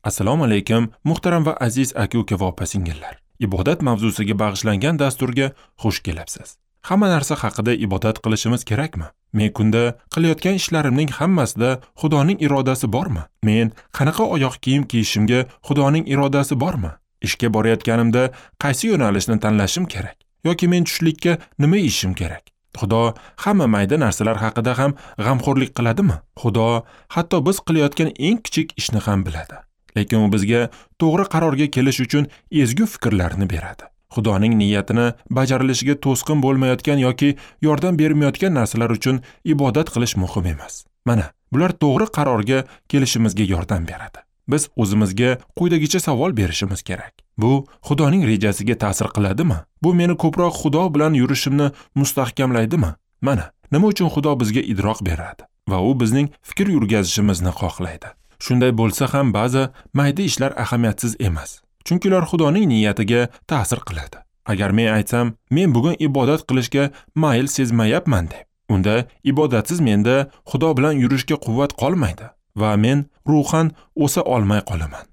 Assalomu alaykum, muhtaram va aziz aka-uka va opa-singillar. Ibodat mavzusiga bag'ishlangan dasturga xush kelibsiz. Hamma narsa haqida ibodat qilishimiz kerakmi? Men kunda qilayotgan ishlarimning hammasida Xudoning irodasi bormi? Men qanaqa oyoq kiyim kiyishimga Xudoning irodasi bormi? Ishga borayotganimda qaysi yo'nalishni tanlashim kerak? Yoki men tushlikka nima yeyishim kerak? Xudo hamma mayda narsalar haqida ham g'amxo'rlik qiladimi? Xudo hatto biz qilayotgan eng kichik ishni ham biladi. Lekin u bizga to'g'ri qarorga kelish uchun ezgu fikrlarni beradi. Xudoning niyatini bajarilishiga to'sqin bo'lmayotgan yoki yordam bermayotgan narsalar uchun ibodat qilish muhim emas. Mana, bular to'g'ri qarorga kelishimizga yordam beradi. Biz o'zimizga quyidagicha savol berishimiz kerak. Bu Xudoning rejasiga ta'sir qiladimi? Bu meni ko'proq Xudo bilan yurishimni mustahkamlaydimi? Mana, nima uchun Xudo bizga idroq beradi va u bizning fikr yurgazishimizni xohlaydi. Shunday bo'lsa ham ba'zi mayda ishlar ahamiyatsiz emas. Chunki ular Xudoning niyatiga ta'sir qiladi. Agar men aytsam, men bugun ibodat qilishga mayl sezmayapman deb, unda ibodatsiz menda Xudo bilan yurishga quvvat qolmaydi va men ruhan o'sa olmay qolaman.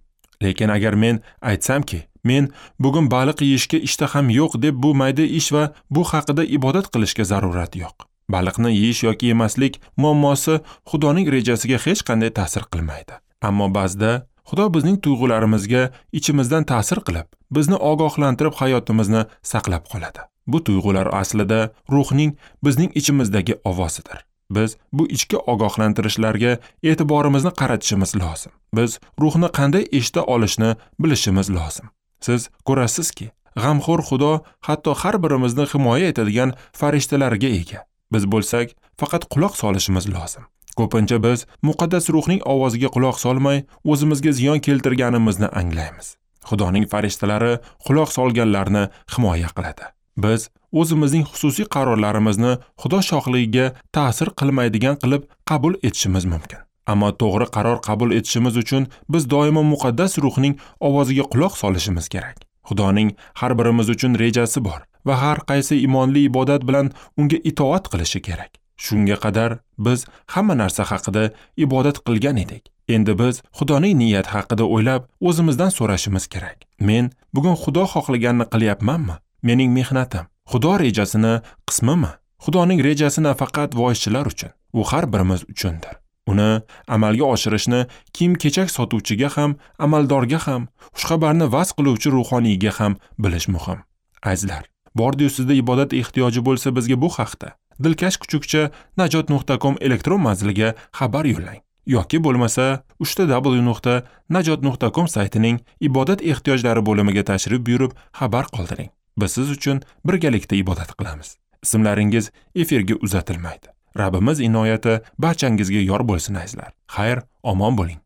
Lekin agar men aytsamki, men bugun baliq yeyishga ishtaham yo'q deb, bu mayda ish va bu haqida ibodat qilishga zarurat yo'q. Baliqni yeyish yoki yemaslik muammosi Xudoning rejasiga hech qanday ta'sir qilmaydi. Ammo ba'zida Xudo bizning tuyg'ularimizga ichimizdan ta'sir qilib, bizni ogohlantirib hayotimizni saqlab qoladi. Bu tuyg'ular aslida ruhning bizning ichimizdagi ovozidir. Biz bu ichki ogohlantirishlarga e'tiborimizni qaratishimiz lozim. Biz ruhni qanday eshita olishni bilishimiz lozim. Siz ko'rasizki, g'amxo'r Xudo hatto har birimizni himoya etadigan farishtalarga ega. Biz bo'lsak, faqat quloq solishimiz lozim. Ko'pincha biz muqaddas ruhning ovoziga quloq solmay, o'zimizga ziyon keltirganimizni anglaymiz. Xudoning farishtalari quloq solganlarni himoya qiladi. Biz o'zimizning xususiy qarorlarimizni Xudo shohligiga ta'sir qilmaydigan qilib qabul etishimiz mumkin. Ammo to'g'ri qaror qabul etishimiz uchun biz doimo muqaddas ruhning ovoziga quloq solishimiz kerak. Xudoning har birimiz uchun rejasi bor va har qaysi imonli ibodat bilan unga itoat qilishi kerak. Shunga qadar biz hamma narsa haqida ibodat qilgan edik. Endi biz Xudoning niyati haqida o'ylab, o'zimizdan so'rashimiz kerak. Men bugun Xudo xohlaganini qilyapmanmi? Mening mehnatim Xudo rejasini qismimi? Xudoning rejasi nafaqat voizchilar uchun, u har birimiz uchundir. Uni amalga oshirishni kiyim-kechak sotuvchiga ham, amaldorga ham, xushxabarni vaz qiluvchi ruhoniyga ham bilish muhim. Azizlar, bordi-yu sizda ibodat ehtiyoji bo'lsa, bizga bu haqda dilkash kuchukcha najot.com elektron manziliga xabar yo'llang yoki bo'lmasa www.najot.com saytining ibodat ehtiyojlari bo'limiga tashrif buyurib xabar qoldiring. Biz siz uchun birgalikda ibodat qilamiz. Ismlaringiz efirga uzatilmaydi. Rabbimiz inoyati barchangizga yor bo'lsin azizlar. Xayr, omon bo'ling.